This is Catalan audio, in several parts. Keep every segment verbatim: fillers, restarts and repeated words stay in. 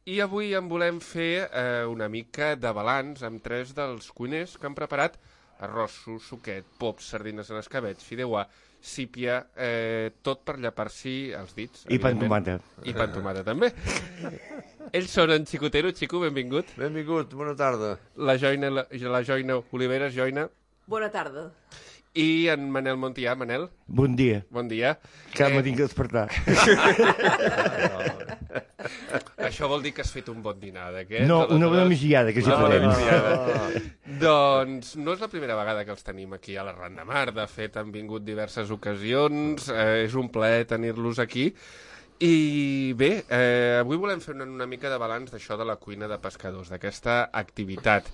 I avui en volem fer eh, una mica de balanç amb tres dels cuiners que han preparat arrossos, suquet, pops, sardines en escabeig, fideuà, sípia, eh, tot per llapar-s'hi els dits. I pa amb tomata. I pa amb tomata, també. Ells són en Xicotero. Xico, benvingut. Benvingut, bona tarda. La Joina, la, la Joina Oliveres, Joina. Bona tarda. I en Manel Montià. Manel. Bon dia. Bon dia. Que eh... m'ha tingut despertar. Això vol dir que has fet un bon dinar d'aquest? No, una bona migdiada, que sí farem. Doncs no és la primera vegada que els tenim aquí a la Ran de Mar. De fet, han vingut diverses ocasions. Eh, és un plaer tenir-los aquí. I bé, eh, avui volem fer una, una mica de balanç d'això de la cuina de pescadors, d'aquesta activitat.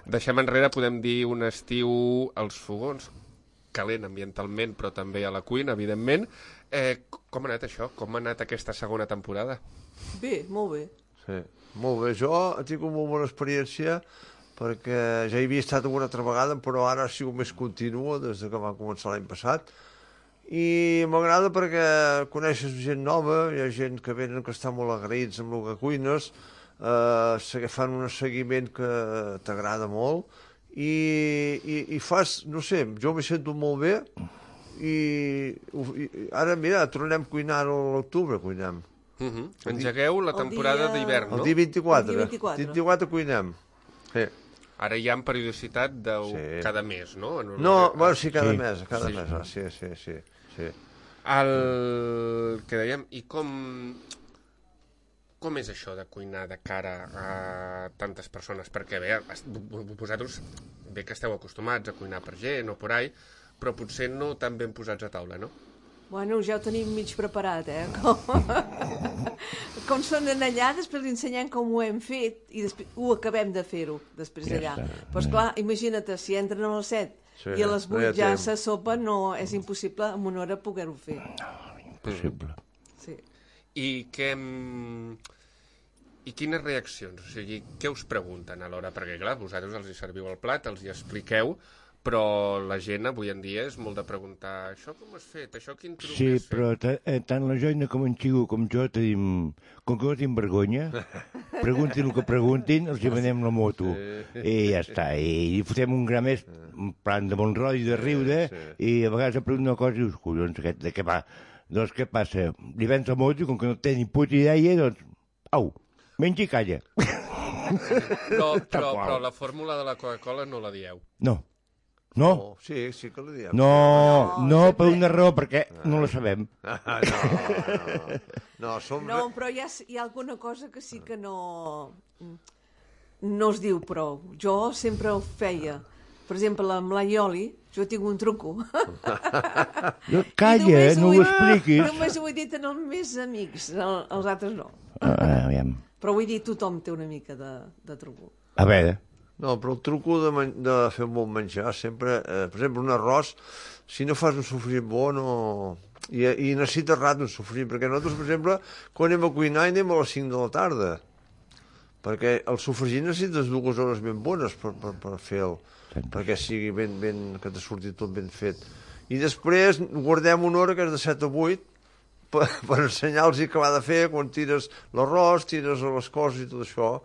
Deixem enrere, podem dir, un estiu als fogons, calent ambientalment, però també a la cuina, evidentment. Eh, com ha anat això? Com ha anat aquesta segona temporada? Bé, molt bé. Sí, molt bé. Jo he tingut molt bona experiència perquè ja hi havia estat una altra vegada, però ara ha sigut més continua des que va començar l'any passat. I m'agrada perquè coneixes gent nova, hi ha gent que venen que estan molt agraïts amb el que cuines, eh, fan un seguiment que t'agrada molt, i, i, i fas, no sé, jo m'he sento molt bé, i, i ara, mira, tornem a cuinar a l'octubre, cuinem. Uh -huh. Engegueu la temporada dia... d'hivern, no? El dia vint-i-quatre. El dia vint-i-quatre. vint-i-quatre cuinem. Sí. Ara hi ha en periodicitat de Sí. cada mes, no? No, bueno, sí, cada Sí. mes, cada Sí. mes, ah, sí, sí, sí, sí. El que dèiem, i com... Com és això de cuinar de cara a tantes persones? Perquè bé, vosaltres bé que esteu acostumats a cuinar per gent o por ahí, però potser no tan ben posats a taula, no? Bueno, ja ho tenim mig preparat, eh? Com, com són allà, després li ensenyem com ho hem fet i després ho acabem de fer-ho, després Ja allà. està. Però, esclar, imagina't, si entren a les set Sí, i a les no hi ha vuit ja temps. se sopa, no, és impossible en una hora poder-ho fer. Impossible. Sí. I què... I quines reaccions? O sigui, què us pregunten a l'hora? Perquè, clar, vosaltres els hi serviu el plat, els hi expliqueu, però la gent avui en dia és molt de preguntar això com has fet, això quin truc Sí, has fet? però ta- eh, tant la Joina com en Xico com jo tenim... Com que no tenim vergonya, preguntin el que preguntin, els hi venem la moto. I ja està. I fotem un gra més, un plan de bon rotllo, de riure, i a vegades pregunten una cosa i dius, collons, aquest, de què va? Doncs què passa? Li vens la moto i com que no té ni puta idea, doncs, au, menja i calla. Però, però, però la fórmula de la Coca-Cola no la dieu. No. No? Oh, sí, sí que li diem. No, No, no, sempre- per una raó, perquè no la sabem. Ah, no, no. No, som... No, però hi ha, hi ha alguna cosa que sí que no... no es diu prou. Jo sempre ho feia. Per exemple, amb l'aioli, jo tinc un truco. No, I calla, només no ho ho he- expliquis. Només ho he dit en els meus amics, el- els altres no. Ah, aviam. Però vull dir, tothom té una mica de, de truco. A veure, No, però el truco de, men de fer un bon menjar sempre, eh, per exemple, un arròs, si no fas un sofrit bo, no... I, i necessites rat un sofrit, perquè nosaltres, per exemple, quan anem a cuinar anem a les cinc de la tarda, perquè el sofregit necessites dues hores ben bones per, per, per fer-lo, perquè sigui ben, ben, que t'ha sortit tot ben fet. I després guardem una hora, que és de set a vuit, per, per ensenyar-los què va de fer, quan tires l'arròs, tires les coses i tot això,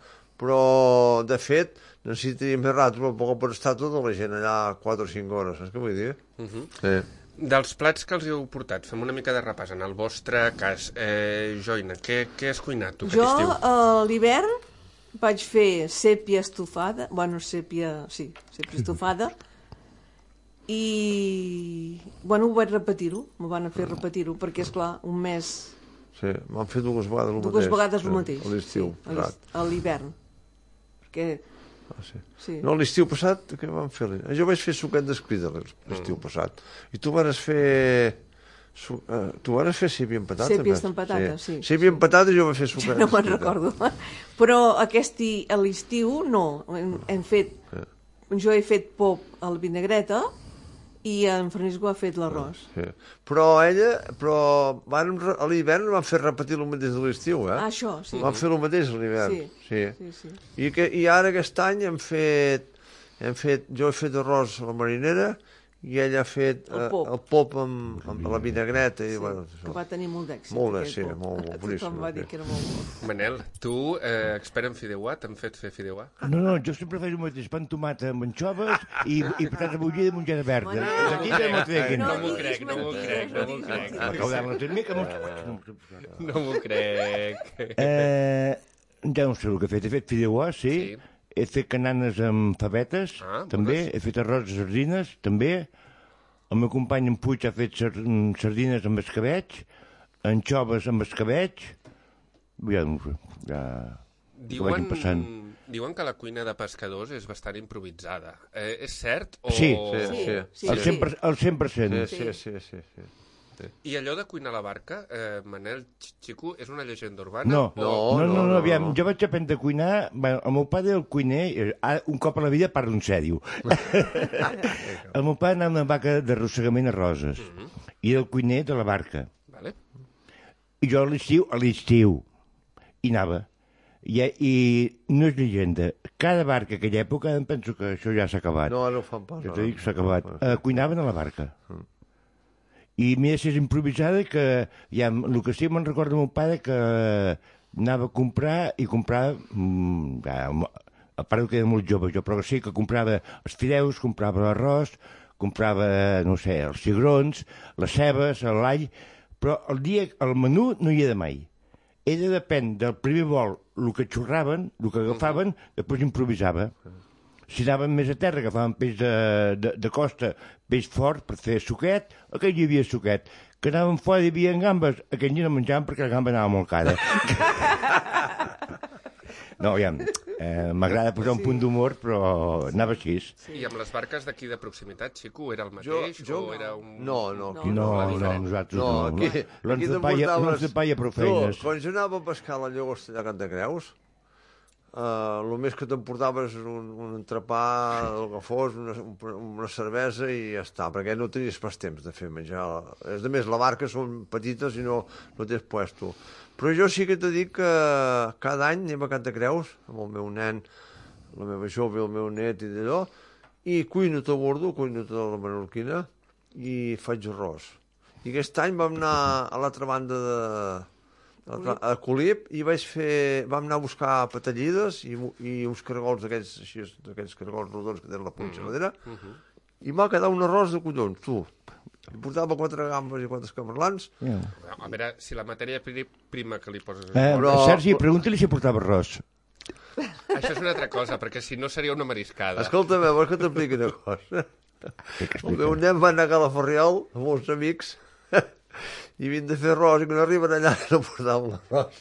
però, de fet, necessitaria més rato, però poc per estar tota la gent allà quatre o cinc hores, saps què vull dir? Uh -huh. Sí. Dels plats que els heu portat, fem una mica de repàs en el vostre cas. Eh, Joina, què, què has cuinat tu aquest Jo, estiu? a l'hivern, vaig fer sèpia estofada, bueno, sèpia, sí, sèpia estofada, i, bueno, ho vaig repetir-ho, m'ho van fer repetir-ho, perquè, és clar, un mes, Sí, m'han fet dues vegades el mateix. dues vegades el sí, mateix. A l'estiu, sí, a l'est- a l'hivern. Perquè, ah, sí. sí. No, l'estiu passat, què vam fer? Jo vaig fer suquet d'escrida l'estiu Mm. passat. I tu vas fer... Su... Uh, tu vas fer sèpia amb patata? Sèpies vas? amb patata, sí. Sèpia amb patata i jo vaig fer suquet No me'n d'escrida. recordo. Però aquest i- a l'estiu no. Hem, hem fet... Jo he fet pop a la vinagreta i en Francisco ha fet l'arròs. Sí. Però ella, però van, a l'hivern van fer repetir el mateix de l'estiu, eh? Ah, això, sí. Van fer el mateix a l'hivern. Sí, Sí. sí, sí. I, que, I ara aquest any hem fet, hem fet... Jo he fet arròs a la marinera i ell ha fet El eh, pop. el pop amb, amb la vinagreta. I, Sí, bueno, que va tenir molt d'èxit. Molt bé, aquell sí, pop. molt, molt boníssim, Tothom va dir sí. que era molt bo. Manel, tu, eh, expert en fideuà, t'han fet fer fideuà? No, no, jo sempre faig el mateix, pa amb tomata amb anxoves i, i patata bullida i mongeta verda. Manel, D'aquí que m'ho treguin. No m'ho diguis crec, no m'ho mentides, crec, no m'ho diguis crec. mentides. Recaudar-la una mica... amb- No m'ho crec. Eh, ja no sé el que he fet. He fet fideuà, sí. Sí. He fet cananes amb favetes, Ah, també. bones. He fet arròs de sardines, també. El meu company en Puig ha fet sar sardines amb escabeig, anxoves amb escabeig. Ja no sé, ja... Ho vagin Diuen, passant. diuen que la cuina de pescadors és bastant improvisada. Eh, és cert? O... Sí. Sí, Sí, sí. sí, El cent per cent. El cent per cent. Sí, sí, sí, sí, sí. I allò de cuinar a la barca, eh, Manel Xico, és una llegenda urbana? No, O... no, no, no, no, aviam, jo vaig aprendre a cuinar, bueno, el meu pare era el cuiner, eh, ara, un cop a la vida parla un sèrio. El meu pare anava a una vaca d'arrossegament a Roses, i era el cuiner de la barca. Vale. I jo a l'estiu, a l'estiu, hi anava. I, I no és llegenda, cada barca aquella època, em penso que això ja s'ha acabat. No, no ho fan pas. Jo no, t'he no. dit que s'ha acabat. Uh, cuinaven a la barca. I més és improvisada que, ja, el que sí me'n recordo el meu pare que anava a comprar i comprava, mm, ja, a part que era molt jove jo, però sí que comprava els fideus, comprava l'arròs, comprava, no sé, els cigrons, les cebes, l'all, però el dia, el menú no hi era mai. Ella depèn del primer vol, el que xurraven, el que agafaven, després improvisava. Si anaven més a terra, agafaven peix de, de, de costa, peix fort per fer suquet, aquell hi havia suquet. Que anaven fora i hi havia gambes, aquell no menjaven perquè la gamba anava molt cara. No, ja, eh, m'agrada posar un punt d'humor, però anava així. I amb les barques d'aquí de proximitat, Xico, era el mateix? Jo- jo- o era un... No, no, aquí No, no. no, nosaltres No, no. aquí, L'ons aquí de palla, l'ons de palla prou feines. Tu, quan jo anava a pescar a la llagosta allà a Cantacreus, Uh, el més que t'emportaves un, un entrepà, el que fos, una, una cervesa i ja està, perquè no tenies pas temps de fer menjar. A més, la barca són petites i no, no tens puesto. Però jo sí que t'he dit que cada any anem a Cantacreus amb el meu nen, la meva jove, el meu net i d'allò, i cuino tot a bordo, cuino tota la menorquina i faig arròs. I aquest any vam anar a l'altra banda de... a Colip i vaig fer, vam anar a buscar patallides i, i uns cargols d'aquells així, d'aquells cargols rodons que tenen la punxa a darrere, Uh -huh. i m'ha quedat un arròs de collons, tu. Em portava quatre gambes i quatre camarlans. Ja. A veure, si la matèria pri- prima que li poses... Eh, Però- Sergi, pregunta-li si portava arròs. Això és una altra cosa, perquè si no seria una mariscada. Escolta'm, vols que t'expliqui una cosa? El meu nen va anar a Calaferriol amb uns amics i havien de fer arròs i quan arriben allà no portaven l'arròs.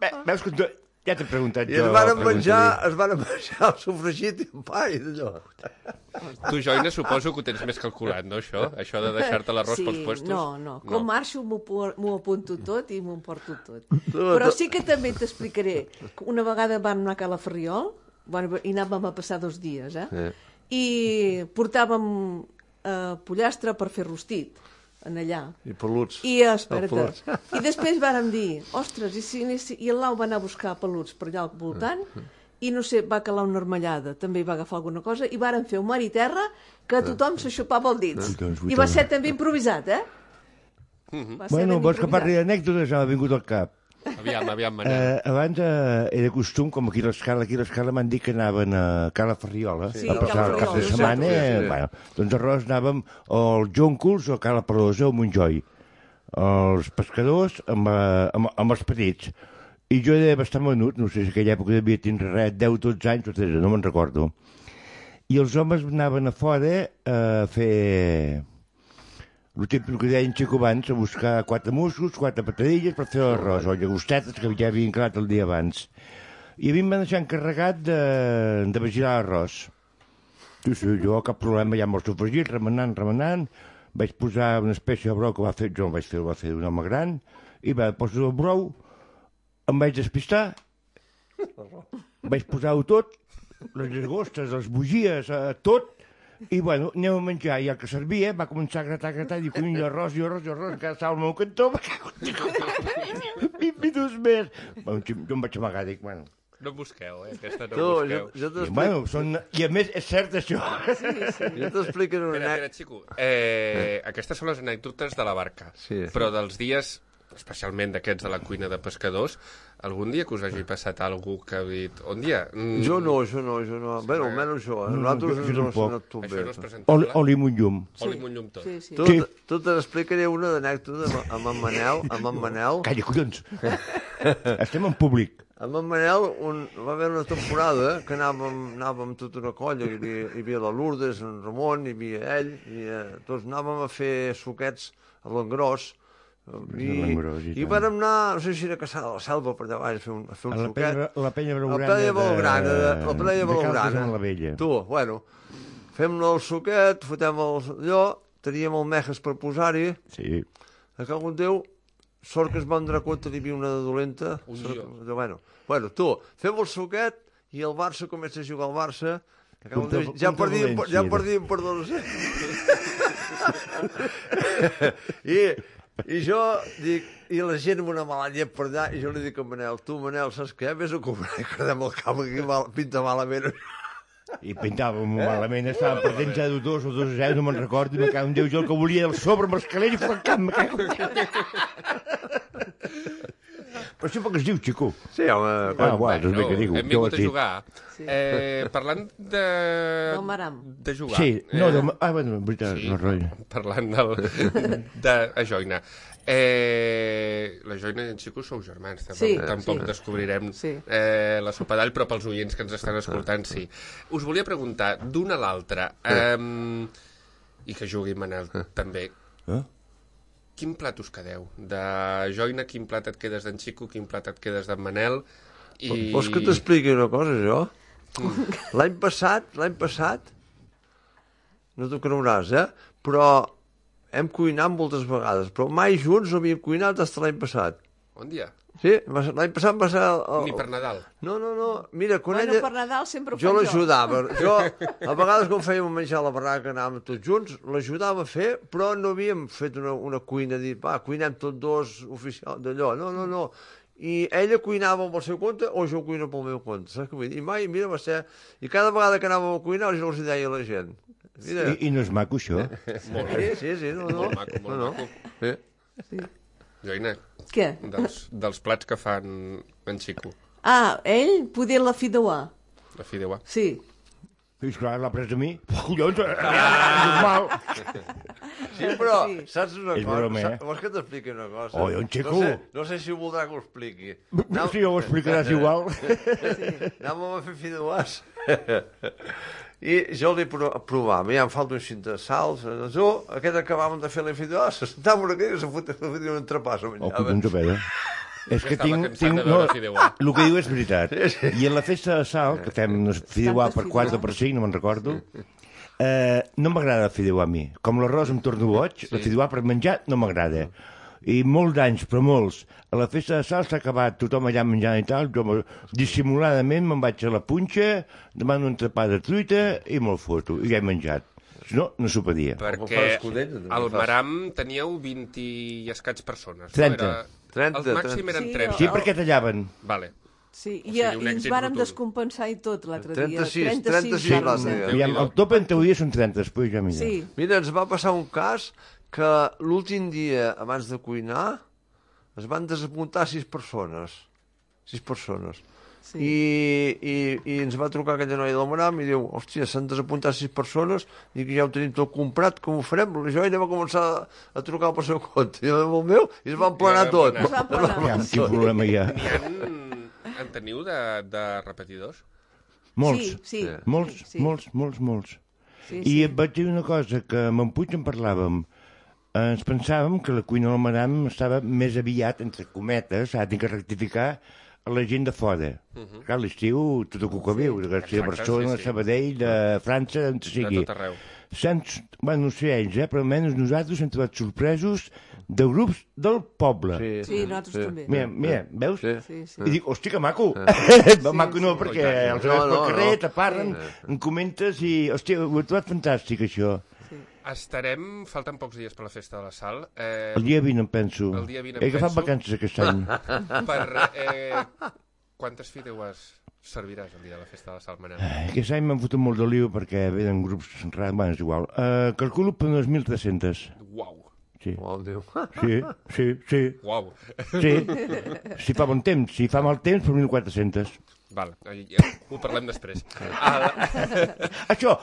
Ve- Veus que tu... Ja t'he preguntat I jo. es van pregunta-li. menjar, es van menjar el sofregit i un pa i d'allò. Tu, Joina, suposo que ho tens més calculat, no, això? Això de deixar-te l'arròs sí, pels puestos? No, no. Com marxo m'ho por- m'ho apunto tot i m'ho emporto tot. Tu, Però tu- sí que també t'explicaré. que Una vegada vam anar a Calaferriol, bueno, i anàvem a passar dos dies, eh? Sí. I portàvem eh, pollastre per fer rostit, en allà. I peluts. I, eh, espera't, peluts. i després vàrem dir, ostres, i, si, anés- i el Lau va anar a buscar peluts per allà al voltant, i no sé, va calar una armellada, també hi va agafar alguna cosa, i vàrem fer un mar i terra que tothom s'aixopava els dits. Collons, I va ser també improvisat, eh? Va ser Bueno, ben vols que improvisat. parli d'anècdotes? M'ha vingut al cap. Aviam, aviam, Manel. Eh, abans eh, era costum, com aquí a l'escala, aquí a l'escala m'han dit que anaven a Cala Ferriola Sí, a passar el cap de Cala Ferriola, setmana. sí, sí, Eh, sí. bueno, doncs arròs anàvem als Jóncols o a Cala Perosa o a Montjoi. Els pescadors amb, eh, amb, amb els petits. I jo era bastant menut, no sé si aquella època devia tindre res, deu dotze anys, o tretze, no me'n recordo. I els homes anaven a fora a fer... El típic que deien Xico abans, a buscar quatre musclos, quatre patadilles per fer l'arròs, o llagostetes que ja havien creat el dia abans. I a mi em van deixar encarregat de, de vigilar l'arròs. Sí, sí, jo cap problema, ja amb el sofregit, remenant, remenant, vaig posar una espècie de brou que va fer, jo no vaig fer, ho va fer un home gran, i va posar el brou, em vaig despistar, vaig posar-ho tot, les llagostes, les bugies, eh, tot, i bueno, anem a menjar, i el que servia va començar a gratar, a gratar, i diu, cony, arròs, i arròs, i arròs, encara estava al meu cantó, vint minuts més. Bueno, jo em vaig amagar, dic, bueno, no busqueu, eh? Aquesta no Tu, busqueu. jo, jo t'explico... Bueno, són... I a més, és cert això. Sí, sí. Jo t'explico una Espera, espera, Xico. Eh, aquestes són les anècdotes de la barca. Sí. Però dels dies, especialment d'aquests de la cuina de pescadors, algun dia que us hagi passat algú que ha dit... On dia? Mm, Jo no, jo no, jo no. Bé, almenys jo. Eh? No, Nosaltres jo- jo no tampoc. s'ha anat tot Això bé. no és Oli, presentable. oli amb un llum. Oli amb un llum tot. Sí, sí. Tu, Sí. tu te n'explicaré una d'anècdota amb, amb en Manel, amb en Manel. Calla, collons. Estem en públic. Amb en Manel un, va haver una temporada que anàvem, anàvem tota una colla, hi havia, hi havia la Lourdes, en Ramon, hi havia ell, i eh, tots anàvem a fer suquets a l'engròs, i, l'engròs, i i tant. vàrem anar, no sé si era a caçar a la selva per allà baix, a fer un, a fer A un la suquet. penya, la penya La blaugrana penya blaugrana, de, la penya de Cal blaugrana. Casamant la Vella. Tu, bueno, fem-ne el suquet, fotem el, allò, teníem el mejes per posar-hi, Sí. a que algun Déu, sort que es van donar compte que hi havia una de dolenta. Un Sort, jo. que- bueno, bueno, tu, fem el suquet i el Barça comença a jugar al Barça. Que algun Contra- Déu, ja contra perdíem, per- ja València. perdíem per dos. I, I jo dic, i la gent amb una mala llet per allà, i jo li dic a Manel, tu, Manel, saps què? Vés a comprar i quedem al camp, que aquí mal, pinta malament. I pintàvem malament, estàvem perdent zero dos o dos a zero, no me'n recordo, i me cago en Déu, jo el que volia era el sobre amb l'escalera i flancar, me cago en Déu. Però això per què es diu, xico? Sí, home, Ah, quan, guai, doncs bé que dic. hem vingut a jugar. Sí. Eh, parlant de... Del Maram. De jugar. Sí, no, eh, de... ah, bueno, en veritat, Sí, no, roi. parlant del, de a Joina. Eh, la Joina i en Xico sou germans, tampoc, Sí, tampoc sí. descobrirem Sí. eh, la sopa d'all, però pels oients que ens estan escoltant, sí. Us volia preguntar, d'una a l'altra, eh, i que jugui Manel també, Eh? quin plat us quedeu? De Joina, quin plat et quedes d'en Xico, quin plat et quedes d'en Manel? I... Vols que t'expliqui una cosa, jo? L'any passat, l'any passat, no t'ho creuràs, eh? Però hem cuinat moltes vegades, però mai junts no havíem cuinat fins l'any passat. On dia? Sí, va ser- l'any passat va ser... El, el... Ni per Nadal. No, no, no, mira, quan Bueno, ella... per Nadal sempre ho Jo faig l'ajudava. Jo, a vegades quan fèiem menjar a la barraca anàvem tots junts, l'ajudava a fer, però no havíem fet una, una cuina, dir, va, cuinem tots dos oficial d'allò. No, no, no. I ella cuinava amb el seu compte o jo cuino pel meu compte, saps què vull dir? I mai, mira, va ser... I cada vegada que anàvem a cuinar jo els deia a la gent. Mira, I, I no és maco, això? Molt sí, bé. sí, sí, no, no. Molt maco, molt no, no. maco. Sí. Sí. Joina, Què? dels, dels plats que fan en Xico, Ah, ell poder la fideuà. la fideuà. Sí. I esclar, l'ha pres a mi. Collons, normal. Sí, però, Sí. saps una És cosa? broma, eh? Saps- Vols que t'expliqui una cosa? Oi, un xico. No sé, no sé si voldrà que ho expliqui. No sé, ho explicaràs igual. Anàvem a fer fideuàs. I jo li pro provava, ja em falta un xint de sals. Jo, aquest acabàvem de fer la fideuàs, sentàvem aquí i se fotia un entrepàs a Oh, menjar. collons, a veure. És que Estava tinc... cansat tinc de no, veure fideuà. el que diu és veritat. I en la festa de sal, que fem no sé, fideuà per Tantes quatre o per cinc, no me'n recordo, eh, no m'agrada el fideuà a mi. Com l'arròs em torno boig, la fideuà per menjar no m'agrada. I molts anys, però molts, a la festa de sal s'ha acabat, tothom allà menjant i tal, jo dissimuladament me'n vaig a la punxa, demano un entrepà de truita i me'l foto, i ja he menjat. Si no, no s'ho pedia. Perquè fa escudella, també al fas. Maram teníeu vint i escaig persones. trenta. No? Era... trenta, El màxim trenta. eren Sí, trenta. Sí, perquè tallaven. Vale. Sí, O i, sigui, un i ens èxit vàrem rotund. descompensar i tot l'altre dia. trenta-sis, trenta-sis, trenta-sis vàrem l'altre ser. dia. Aviam, el top en teoria són trenta, després ja mira. Sí, Mira, ens va passar un cas que l'últim dia abans de cuinar es van desapuntar sis persones. Sis persones. sí. I, i, i ens va trucar aquella noia del Maram i diu, hòstia, s'han desapuntat sis persones i que ja ho tenim tot comprat, com ho farem? La Joina va començar a, a trucar pel seu compte i el meu i es van planar Ja vam tot. planar. Es van planar. Ja, quin problema hi ha. N'hi ha... En teniu de, de repetidors? Molts. Sí, sí. Molts, sí. molts, molts, molts. Sí, I sí. et vaig dir una cosa, que amb en Puig en parlàvem. Eh, ens pensàvem que la cuina del Maram estava més aviat, entre cometes, ha de rectificar a la gent de fora. Uh -huh. Clar, l'estiu, tot el que viu, de Garcia, Exacte, Barcelona, sí, sí. Sabadell, de França, on De sigui. tot arreu. Sens, bueno, no sé ells, eh, però almenys nosaltres hem trobat sorpresos de grups del poble. Sí, Sí, nosaltres també. Mira, mira, veus? Sí. Sí, sí. I dic, hosti, que maco. maco no, sí. perquè els No, veus pel no, carrer, no. t'aparren, em comentes i, hòstia, ho he trobat fantàstic, això. Estarem, falten pocs dies per la festa de la Sal, eh, El dia vint, em penso. El dia vint em He agafat penso. vacances aquest any. per... Eh, quantes fideuàs serviràs el dia de la festa de la Sal, Manel? Aquest any m'han fotut molt de lío perquè venen grups rars, bueno, és igual. Uh, calculo per unes mil tres-cents. Uau! Sí. Oh, Déu. Sí, sí, sí. Uau! Sí. Si fa bon temps, si fa mal temps, per mil quatre-cents. Val, ja, ho parlem després. Ah, Això,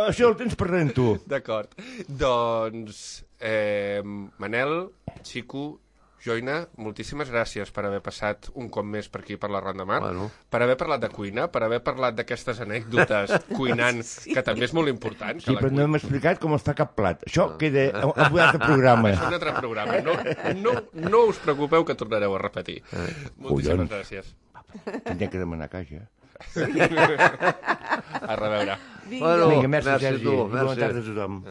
això el tens perdent tu. D'acord. Doncs, eh, Manel, Xico, Joina, moltíssimes gràcies per haver passat un cop més per aquí per la Ronda Mar, Bueno. per haver parlat de cuina, per haver parlat d'aquestes anècdotes cuinant, sí. que també és molt important. Sí, però no hem explicat com es fa cap plat. Això queda a un altre programa. És un altre programa. No, no, no us preocupeu que tornareu a repetir. Moltíssimes Collons. gràcies. Tindria que demanar caixa. A reveure. Vinga. Bueno, Vinga, merci, merci a Sergi. tu, I bona merci. tarda a tothom.